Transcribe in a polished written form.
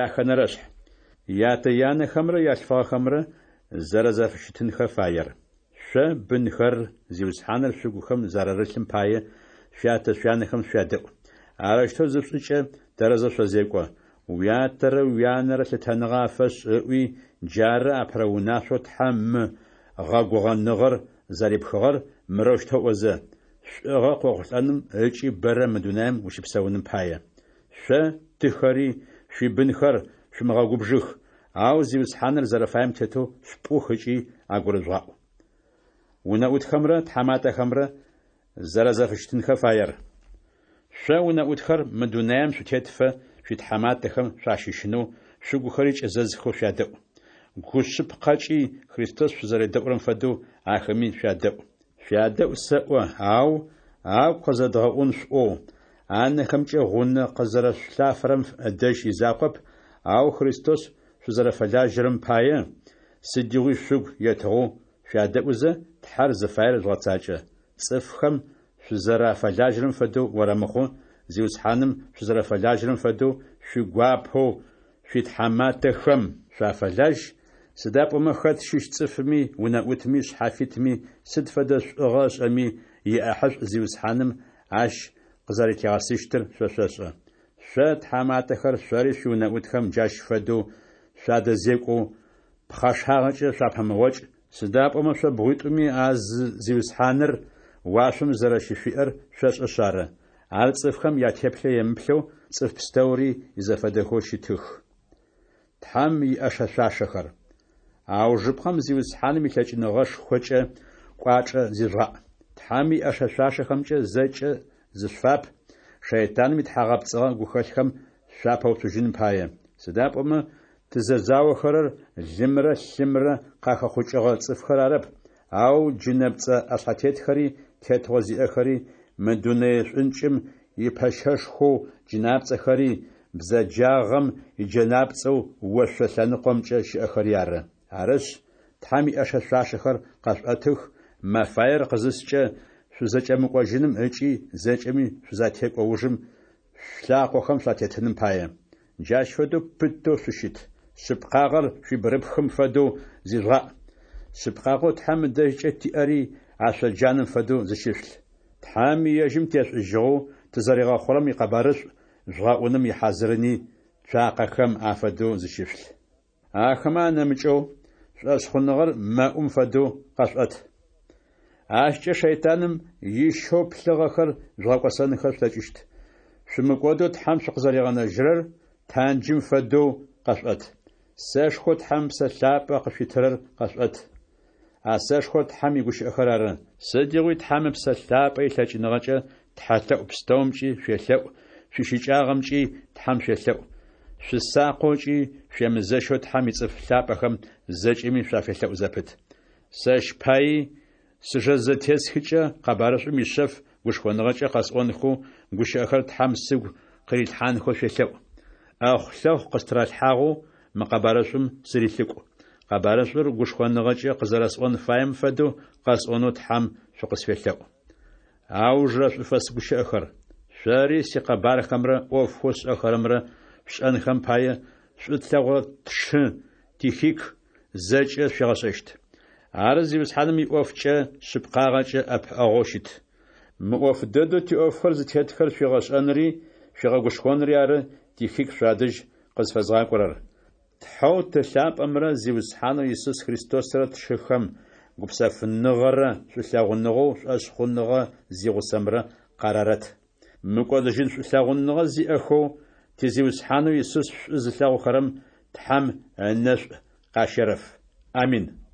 Яхэнэрэшъхь. Ятэ-янэхэмрэ ялъфыгъэхэмрэ зэрэзэфыщытынхэ фаер. Шъо, бынхэр, Зиусхьаныр шъугухэм зэрарылъым пае, шъуятэ-шъуянэхэм шъуядэӏу. Арэущтэу зышъушӏыкӏэ, тэрэзэу шъозекӏо. Уятэрэ уянэрэ лъытэныгъэ афэшӏ, ыӏуи, джары апэрэ унашъоу Тхьэм мы гъэгугъэныгъэр зэрипхыгъэр, мырэущтэу ыӏозэ: Шӏугъэ къыохъулӏэным ыкӏи бэрэ мы дунаим ущыпсэуным пае. Шъо, тыхэри, шъуибынхэр шъумыгъэгубжых, ау Зиусхьаныр зэрэфаем тетэу шъупӏух ыкӏи агурыжъугъаӏу. Унэӏутхэмрэ тхьаматэхэмрэ зэрэзэфыщытынхэ фаер. Шъо, унэӏутхэр, мы дунаим шъутетыфэ шъуитхьаматэхэм шъуащыщынэу, шъугухэри кӏэзэзхэу шъуядэӏу. Гу шъыпкъэкӏи Христос шъузэредэӏурэм фэдэу ахэми шъуядэӏу. Шъуядэӏу сэӏо, ау агу къызэдгъэӏун шъуӏоу, анэхэмкӏэ гъунэ къызэрэшъулъафэрэм ыдэжь изакъоп, ау Христос шъузэрэфэлажьэрэм пае, сыдигъуи шъугу етыгъэу шъуядэӏузэ, Тхьэр зыфаер жъугъэцакӏэ. Цӏыфхэм шъузэрафэлажьэрэм фэдэу орэмыхъу, Зиусхьаным шъузэрэфэлажьэрэм фэдэу шъуигуапэу шъуитхьаматэхэм шъуафэлажь, сыда пӏомэ хэт щыщ цӏыфми, унэӏутми, шъхьафитми сыд фэдэ шӏугъэ ышӏэми, иӏэхьышӏу Зиусхьаным ащ къызэрэлъигъэсыщтыр шъо шъошӏэ. Шъо, тхьаматэхэр, шъори шъуиунэӏутхэм джащ фэдэу шъуадэзекӏоу, пхъэшагъэкӏэ шъуапэмыгъокӏ, сыда пӏомэ шъо бгъуитӏуми а зы Зиусхьаныр уашъом зэрэщышъуиӏэр шъошӏэшъ ары. Ар цӏыфхэм ятеплъэ емыплъэу, цӏыф пстэури изэфэдэхэу щытых. Тхьэм иӏэшэ-шъуашэхэр. Аужыпкъэм Зиусхьаным илъэкӏыныгъэшхокӏэ кӏуачӏэ зижъугъаӏ. Тхьэм иӏэшэ-шъуашэхэмкӏэ зэкӏэ зышъуфап, шэйтаным итхьагъэпцӏыгъэ гухэлъхэм шъуапэуцужьыным пае. Сыда пӏомэ тызэзаохэрэр лымрэ лъымрэ къахэхъукӏыгъэ цӏыфхэр арэп, ау джынэпцӏэ ӏэшъхьэтетхэри, тетыгъо зиӏэхэри, мы дунэе шӏункӏым ипэщэшхоу джынапцӏэхэри, бзэджагъэм иджэнапцӏэу ошъо лъэныкъомкӏэ щыӏэхэри ары. Арышъ, Тхьэм иӏэшэ-шъуашэхэр къэшъуӏэтых, мэфаер къызыскӏэ шъузэкӏэмыкӏожьыным ыкӏи зэкӏэми шъузатекӏо ужым шъулъакъохэм шъуатетыным пае. Джащ фэдэу пытэу шъущыт. Шъыпкъагъэр шъуибгырыпхым фэдэу зижъугъаӏ. Шъыпкъагъэу Тхьэм ыдэжькӏэ тиӏэри ашъо джанэм фэдэу зыщышъулъ. Тхьэм ежьым тешӏужьыгъэу тызэригъэхъурэм икъэбарышӏу жъугъэӏуным ихьазырыни цуакъэхэм афэдэу зыщышъулъ. Ахэмэ анэмыкӏэу, шӏошъхъуныгъэр мэӏум фэдэу къэшъуӏэт. Ащкӏэ шэйтаным ищэу плъыгъэхэр жъугъэкӏосэнхэ шъулъэкӏыщт. Шъумыкӏодэу Тхьэм шъукъызэригъэнэжьырэр танджым фэдэу къэшъуӏэт. Сэшхоу Тхьэм Псэ Лъапӏэ къышъуитырэр къэшъуӏэт. А сэшхор Тхьэм игущыӏэхэр ары. Сыдигъуи Тхьэм Ыпсэ Лъапӏэ илъэкӏыныгъэкӏэ тхьэлъэӏу пстэумкӏи шъуелъэӏу, шъуищыкӏагъэмкӏи Тхьэм шъуелъэӏу. Шъусакъэу ыкӏи шъуемызэщэу Тхьэм ицӏыф лъапӏэхэм зэкӏэми шъуафелъэӏу зэпыт. Сэщ паий сыжэ зэтесхыкӏэ къэбарышӏум ишъэф гушхоныгъэкӏэ къэсӏонхэу гущыӏэхэр Тхьэм сыгу къырилъхьанхэу шъуелъэӏу. ӏэхъу-лъэхъу къыстыралъхьагъэу мы къэбарышӏум сырилӏыкӏу. Къэбарышӏур гушхоныгъэкӏэ къызэрэсӏон фаем фэдэу къэсӏонэу Тхьэм шъукъысфелъэӏу. Аужырэ шӏуфэс гущыӏэхэр. Шъори сикъэбархэмрэ ӏофхэу сшӏэхэрэмрэ шъушӏэнхэм пае, шӏу тлъэгъурэ тшы Тихик зэкӏэ шъуигъэшӏэщт. Ар Зиусхьаным иӏофкӏэ шъыпкъагъэкӏэ ӏэпыӏэгъоу щыт. Мы ӏоф дэдэу тиӏофхэр зытетхэр шъуигъэшӏэнри шъуигъэгушхонри ары Тихик шъуадэжь къызфэзгъакӏорэр. Тхьэу Ты лъапӏэмрэ Зиусхьанэу Исус Христосрэ тшыхэм гупсэфыныгъэрэ шӏулъэгъуныгъэу шӏошъхъуныгъэ зигъусэмрэ къарарэт. Мыкӏодыжьын шӏулъэгъуныгъэ зиӏэхэу, ти Зиусхьанэу Исус шӏу зылъэгъухэрэм Тхьэм ынэшӏу къащерэф. Амин.